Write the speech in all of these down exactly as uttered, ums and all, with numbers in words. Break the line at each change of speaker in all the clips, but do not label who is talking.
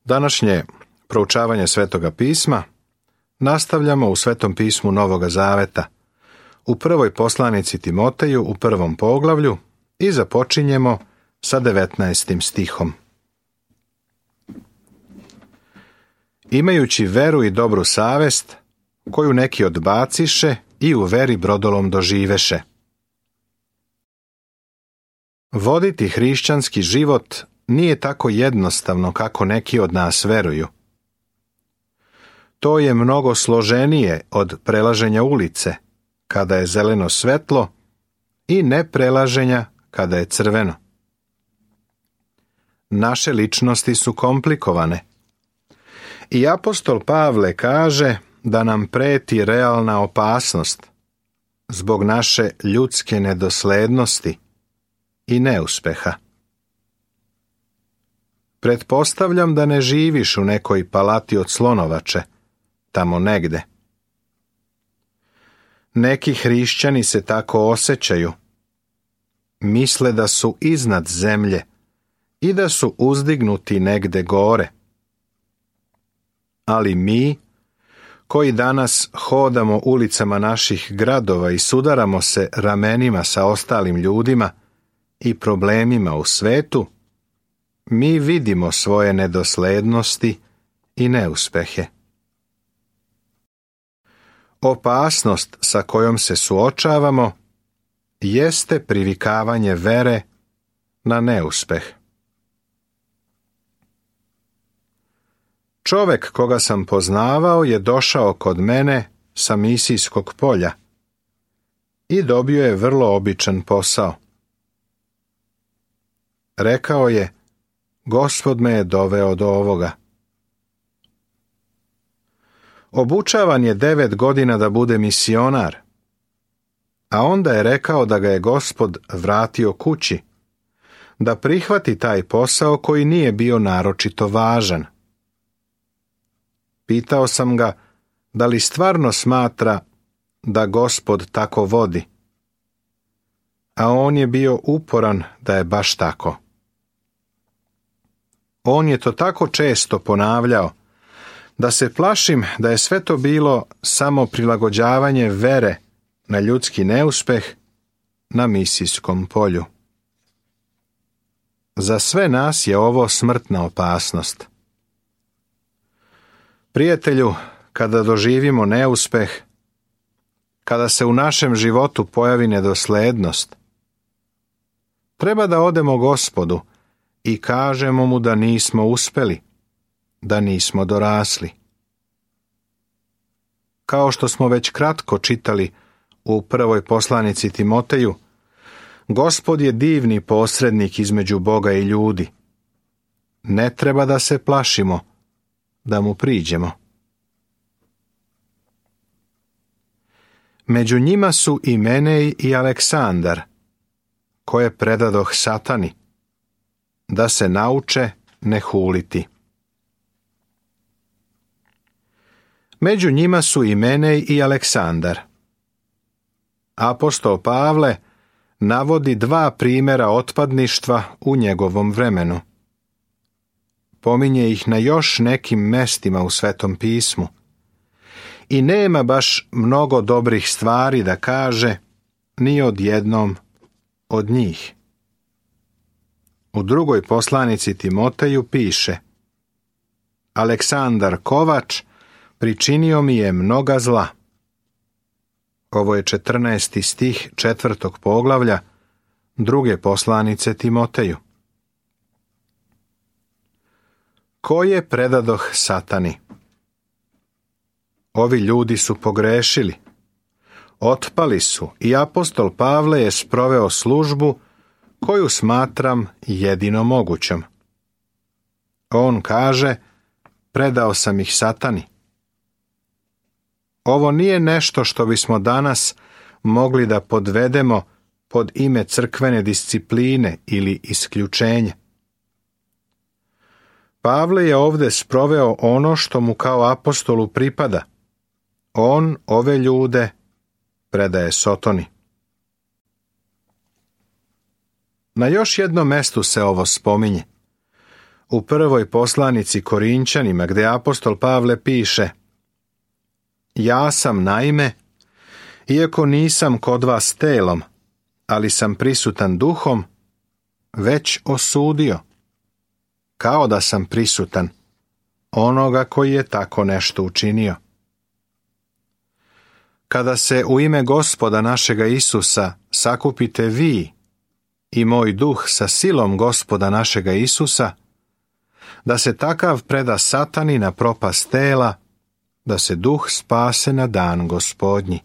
Današnje proučavanje Svetoga pisma nastavljamo u Svetom pismu Novoga Zaveta, u prvoj poslanici Timoteju u prvom poglavlju i započinjemo sa devetnaestim stihom. Imajući veru i dobru savest, koju neki odbaciše i u veri brodolom doživeše. Voditi hrišćanski život nije tako jednostavno kako neki od nas veruju. To je mnogo složenije od prelaženja ulice, kada je zeleno svetlo, i neprelaženja kada je crveno. Naše ličnosti su komplikovane. I apostol Pavle kaže da nam preti realna opasnost zbog naše ljudske nedoslednosti i neuspeha. Pretpostavljam da ne živiš u nekoj palati od slonovače, tamo negde. Neki hrišćani se tako osjećaju. Misle da su iznad zemlje i da su uzdignuti negde gore. Ali mi, koji danas hodamo ulicama naših gradova i sudaramo se ramenima sa ostalim ljudima i problemima u svetu, mi vidimo svoje nedoslednosti i neuspehe. Opasnost sa kojom se suočavamo jeste privikavanje vere na neuspeh. Čovek koga sam poznavao je došao kod mene sa misijskog polja i dobio je vrlo običan posao. Rekao je, Gospod me je doveo do ovoga. Obučavan je devet godina da bude misionar, a onda je rekao da ga je Gospod vratio kući, da prihvati taj posao koji nije bio naročito važan. Pitao sam ga da li stvarno smatra da Gospod tako vodi, a on je bio uporan da je baš tako. On je to tako često ponavljao, da se plašim da je sve to bilo samo prilagođavanje vere na ljudski neuspeh na misijskom polju. Za sve nas je ovo smrtna opasnost. Prijatelju, kada doživimo neuspeh, kada se u našem životu pojavi nedoslednost, treba da odemo Gospodu i kažemo mu da nismo uspeli, da nismo dorasli. Kao što smo već kratko čitali u prvoj poslanici Timoteju, Gospod je divni posrednik između Boga i ljudi. Ne treba da se plašimo da mu priđemo. Među njima su i Menej i Aleksandar, koje predadoh Satani, da se nauče ne huliti. Među njima su i Menej i Aleksandar. Apostol Pavle navodi dva primjera otpadništva u njegovom vremenu. Pominje ih na još nekim mestima u Svetom pismu. I nema baš mnogo dobrih stvari da kaže ni od jednom od njih. U drugoj poslanici Timoteju piše: Aleksandar Kovač pričinio mi je mnoga zla. Ovo je četrnaesti stih četvrtog poglavlja druge poslanice Timoteju. Koje predadoh Satani? Ovi ljudi su pogrešili. Otpali su i apostol Pavle je sproveo službu koju smatram jedino mogućom. On kaže, predao sam ih Satani. Ovo nije nešto što bismo danas mogli da podvedemo pod ime crkvene discipline ili isključenja. Pavle je ovde sproveo ono što mu kao apostolu pripada. On ove ljude predaje Sotoni. Na još jednom mestu se ovo spominje. u prvoj poslanici Korinćanima, gdje apostol Pavle piše: Ja sam naime, iako nisam kod vas telom, ali sam prisutan duhom, već osudio, kao da sam prisutan, onoga koji je tako nešto učinio. Kada se u ime Gospoda našega Isusa sakupite vi i moj duh sa silom Gospoda našega Isusa, da se takav preda satani na propast tela, da se duh spase na dan Gospodnji.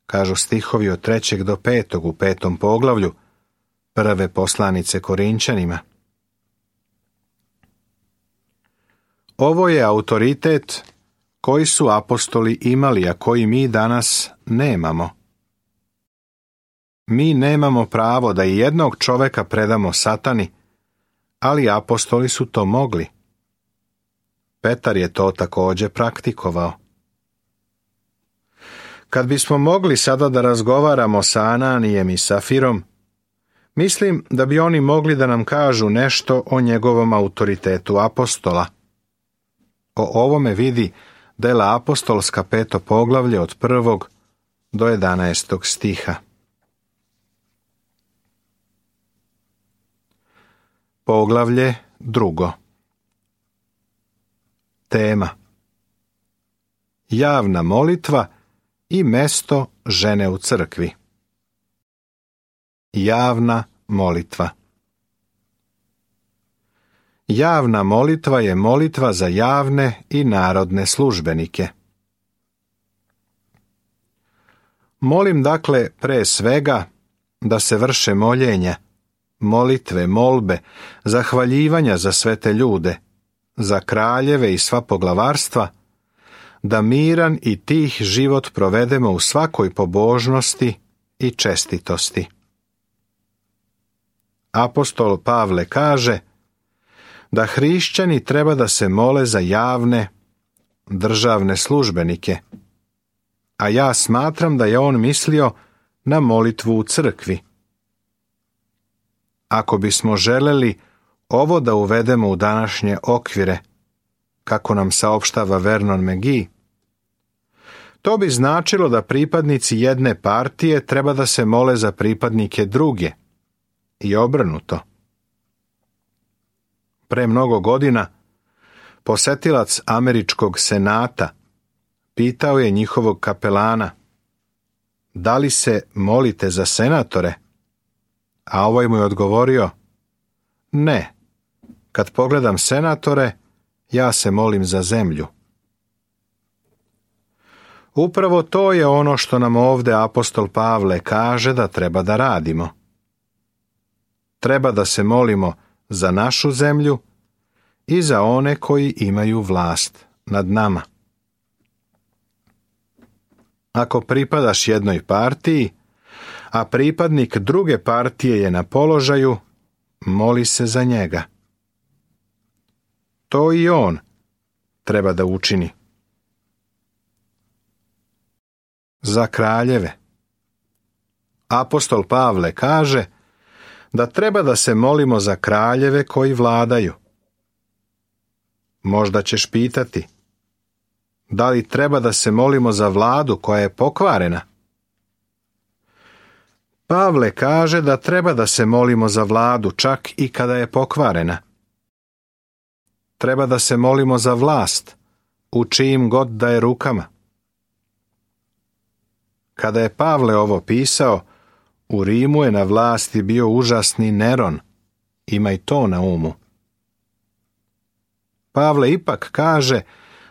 Kažu stihovi od trećeg do petog u petom poglavlju prve poslanice Korinćanima. Ovo je autoritet koji su apostoli imali, a koji mi danas nemamo. Mi nemamo pravo da i jednog čoveka predamo satani, ali apostoli su to mogli. Petar je to također praktikovao. Kad bismo mogli sada da razgovaramo sa Ananijem i Safirom, mislim da bi oni mogli da nam kažu nešto o njegovom autoritetu apostola. O ovome vidi dela apostolska peto poglavlje od prvog do jedanaestog stiha. Poglavlje drugo. Tema: Javna molitva i mesto žene u crkvi. Javna molitva. Javna molitva je molitva za javne i narodne službenike. Molim dakle pre svega da se vrše moljenja, molitve, molbe, zahvaljivanja za sve te ljude, za kraljeve i sva poglavarstva, da miran i tih život provedemo u svakoj pobožnosti i čestitosti. Apostol Pavle kaže da hrišćani treba da se mole za javne, državne službenike, a ja smatram da je on mislio na molitvu u crkvi. Ako bismo želeli ovo da uvedemo u današnje okvire, kako nam saopštava Vernon McGee, to bi značilo da pripadnici jedne partije treba da se mole za pripadnike druge i obrnuto. Pre mnogo godina posetilac američkog senata pitao je njihovog kapelana: da li se molite za senatore? A ovaj mu je odgovorio: ne, kad pogledam senatore, ja se molim za zemlju. Upravo to je ono što nam ovdje apostol Pavle kaže da treba da radimo. Treba da se molimo za našu zemlju i za one koji imaju vlast nad nama. Ako pripadaš jednoj partiji, a pripadnik druge partije je na položaju, moli se za njega. To i on treba da učini. Za kraljeve. Apostol Pavle kaže da treba da se molimo za kraljeve koji vladaju. Možda ćeš pitati: da li treba da se molimo za vladu koja je pokvarena? Pavle kaže da treba da se molimo za vladu čak i kada je pokvarena. Treba da se molimo za vlast, u čijim god da je rukama. Kada je Pavle ovo pisao, u Rimu je na vlasti bio užasni Neron, imaj to na umu. Pavle ipak kaže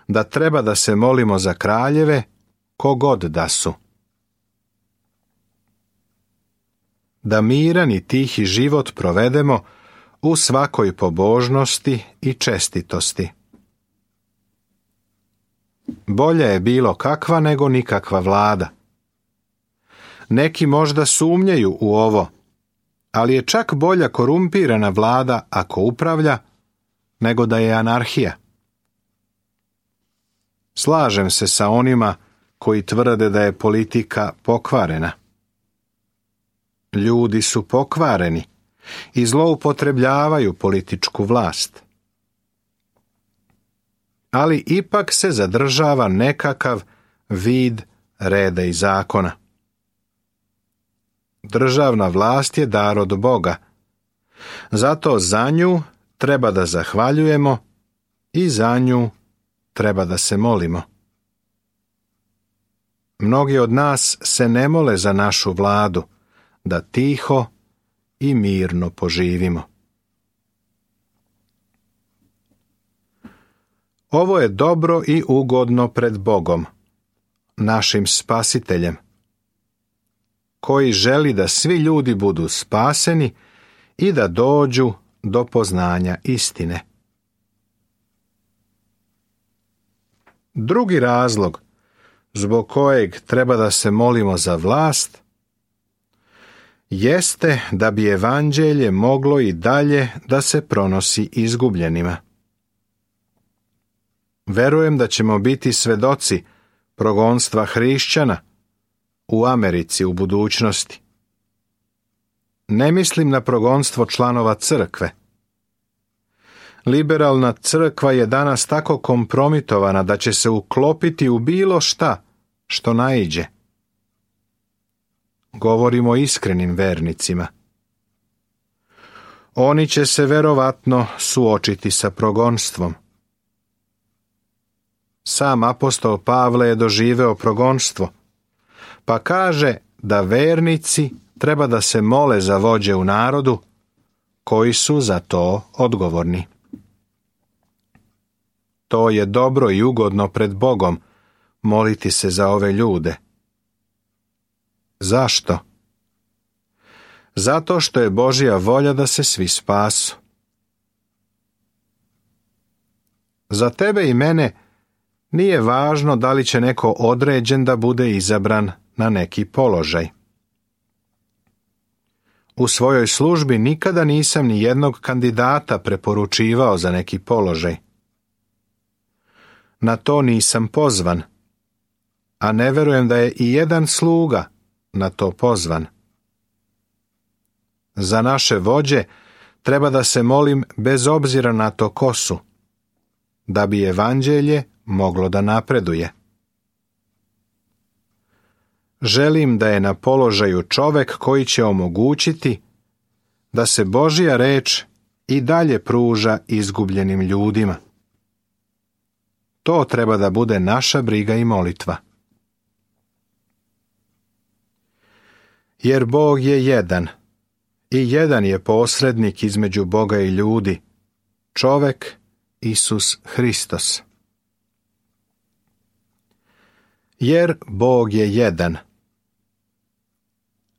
da treba da se molimo za kraljeve, kogod da su. Da miran i tihi život provedemo u svakoj pobožnosti i čestitosti. Bolje je bilo kakva nego nikakva vlada. Neki možda sumnjaju u ovo, ali je čak bolja korumpirana vlada ako upravlja, nego da je anarhija. Slažem se sa onima koji tvrde da je politika pokvarena. Ljudi su pokvareni i zloupotrebljavaju političku vlast. ali ipak se zadržava nekakav vid reda i zakona. Državna vlast je dar od Boga, zato za nju treba da zahvaljujemo i za nju treba da se molimo. Mnogi od nas se ne mole za našu vladu, da tiho i mirno poživimo. Ovo je dobro i ugodno pred Bogom, našim spasiteljem, koji želi da svi ljudi budu spaseni i da dođu do poznanja istine. Drugi razlog zbog kojeg treba da se molimo za vlast jeste da bi evanđelje moglo i dalje da se pronosi izgubljenima. Verujem da ćemo biti svedoci progonstva hrišćana u Americi u budućnosti. Ne mislim na progonstvo članova crkve. Liberalna crkva je danas tako kompromitovana da će se uklopiti u bilo šta što naiđe. Govorimo o iskrenim vernicima. Oni će se verovatno suočiti sa progonstvom. Sam apostol Pavle je doživeo progonstvo, pa kaže da vernici treba da se mole za vođe u narodu koji su za to odgovorni. To je dobro i ugodno pred Bogom moliti se za ove ljude. Zašto? Zato što je Božja volja da se svi spasu. Za tebe i mene nije važno da li će neko određen da bude izabran na neki položaj. U svojoj službi nikada nisam ni jednog kandidata preporučivao za neki položaj. Na to nisam pozvan, a ne verujem da je i jedan sluga na to pozvan. Za naše vođe treba da se molim bez obzira na to ko su, da bi evanđelje moglo da napreduje. Želim da je na položaju čovek koji će omogućiti da se Božja reč i dalje pruža izgubljenim ljudima. To treba da bude naša briga i molitva. Jer Bog je jedan i jedan je posrednik između Boga i ljudi, čovek Isus Hristos. Jer Bog je jedan.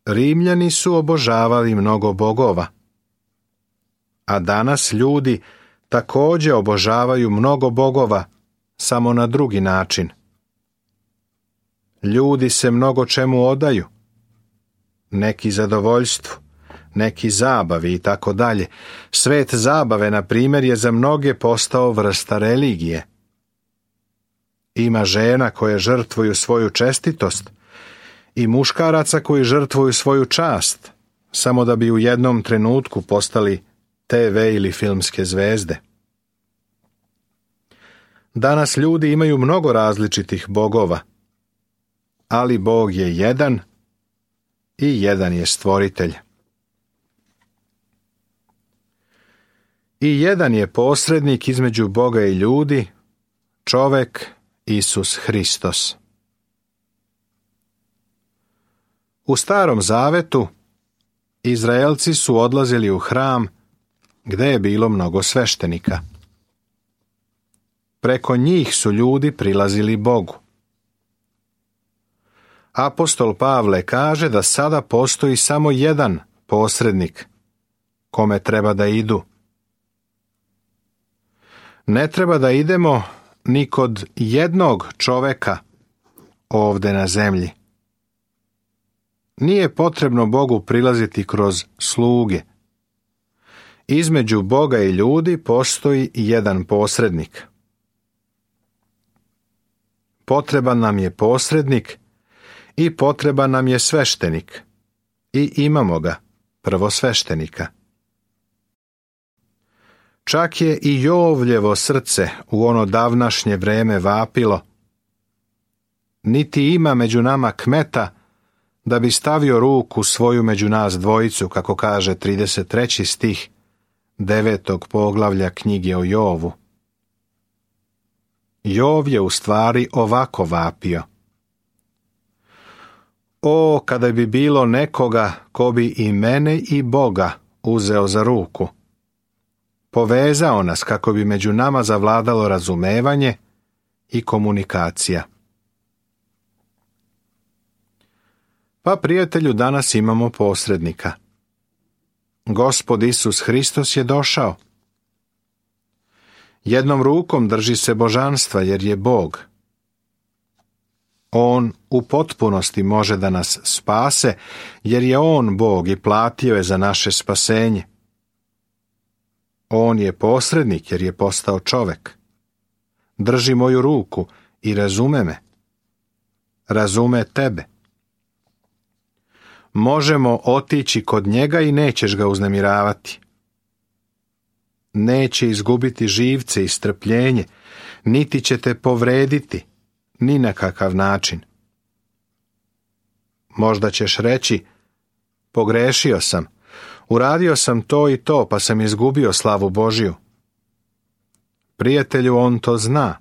Rimljani su obožavali mnogo bogova, a danas ljudi također obožavaju mnogo bogova, samo na drugi način. Ljudi se mnogo čemu odaju, neki zadovoljstvu, neki zabavi i tako dalje. Svet zabave, na primjer, je za mnoge postao vrsta religije. Ima žena koje žrtvuju svoju čestitost i muškaraca koji žrtvuju svoju čast, samo da bi u jednom trenutku postali te ve ili filmske zvezde. Danas ljudi imaju mnogo različitih bogova, ali Bog je jedan i jedan je stvoritelj. I jedan je posrednik između Boga i ljudi, čovek Isus Hristos. U Starom Zavetu Izraelci su odlazili u hram gde je bilo mnogo sveštenika. Preko njih su ljudi prilazili Bogu. Apostol Pavle kaže da sada postoji samo jedan posrednik kome treba da idu. Ne treba da idemo ni kod jednog čoveka ovde na zemlji. Nije potrebno Bogu prilaziti kroz sluge. Između Boga i ljudi postoji jedan posrednik. Potreban nam je posrednik i potreban nam je sveštenik. I imamo ga, prvosveštenika. Čak je i Jovljevo srce u ono davnašnje vreme vapilo. Niti ima među nama kmeta da bi stavio ruku svoju među nas dvojicu, kako kaže trideset treći stih devetog poglavlja knjige o Jovu. Jov je u stvari ovako vapio. O, kada bi bilo nekoga ko bi i mene i Boga uzeo za ruku, povezao nas kako bi među nama zavladalo razumevanje i komunikacija. Pa, prijatelju, danas imamo posrednika. Gospod Isus Hristos je došao. Jednom rukom drži se božanstva jer je Bog. On u potpunosti može da nas spase jer je On Bog i platio je za naše spasenje. On je posrednik jer je postao čovek. Drži moju ruku i razume me. Razume tebe. Možemo otići kod njega i nećeš ga uznemiravati. Neće izgubiti živce i strpljenje, niti će te povrediti, ni na kakav način. Možda ćeš reći, pogrešio sam, uradio sam to i to, pa sam izgubio slavu Božju. Prijatelju, on to zna,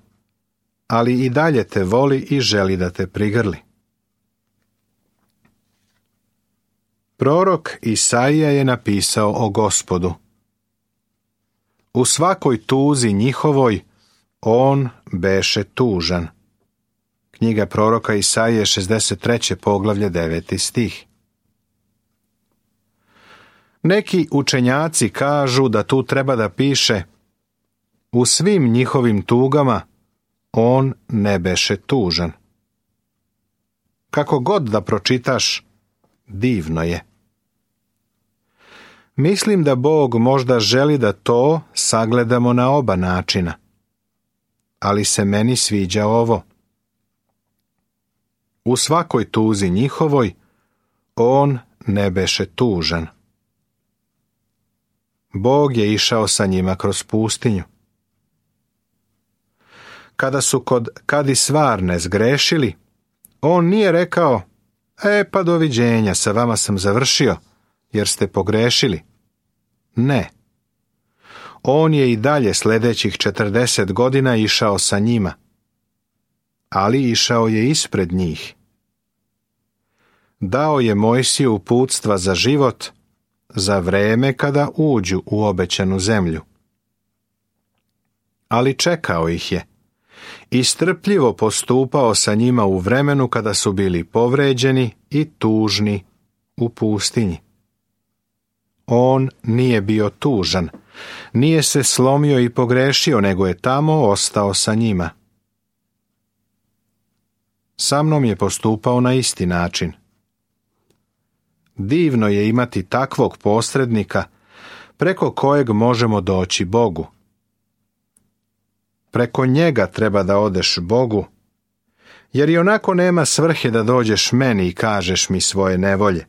ali i dalje te voli i želi da te prigrli. Prorok Isaija je napisao o Gospodu. U svakoj tuzi njihovoj on beše tužan. Knjiga proroka Isaije, šezdeset treće poglavlje, deveti stih. Neki učenjaci kažu da tu treba da piše u svim njihovim tugama on ne beše tužan. Kako god da pročitaš, divno je. Mislim da Bog možda želi da to sagledamo na oba načina, ali se meni sviđa ovo. U svakoj tuzi njihovoj on ne beše tužan. Bog je išao sa njima kroz pustinju. Kada su kod Kadisvarne zgrešili, on nije rekao, e pa doviđenja, sa vama sam završio, jer ste pogrešili. Ne. On je i dalje sljedećih četrdeset godina išao sa njima, ali išao je ispred njih. Dao je Mojsiju uputstva za život, za vreme kada uđu u obećanu zemlju. Ali čekao ih je i strpljivo postupao sa njima u vremenu kada su bili povređeni i tužni u pustinji. On nije bio tužan, nije se slomio i pogrešio, nego je tamo ostao sa njima. Sa mnom je postupao na isti način. Divno je imati takvog posrednika preko kojeg možemo doći Bogu. Preko njega treba da odeš Bogu, jer i onako nema svrhe da dođeš meni i kažeš mi svoje nevolje.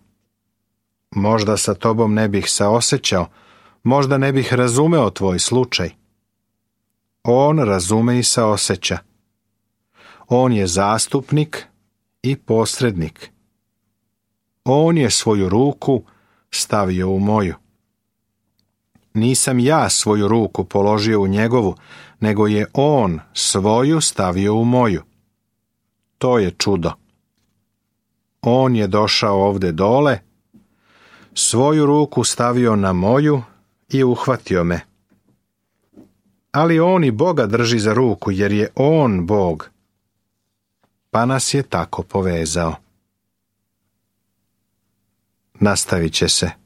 Možda sa tobom ne bih saosećao, možda ne bih razumeo tvoj slučaj. On razume i saoseća. On je zastupnik i posrednik. On je svoju ruku stavio u moju. Nisam ja svoju ruku položio u njegovu, nego je on svoju stavio u moju. To je čudo. On je došao ovde dole, svoju ruku stavio na moju i uhvatio me. Ali on i Boga drži za ruku, jer je on Bog, pa nas je tako povezao. Nastavit će se.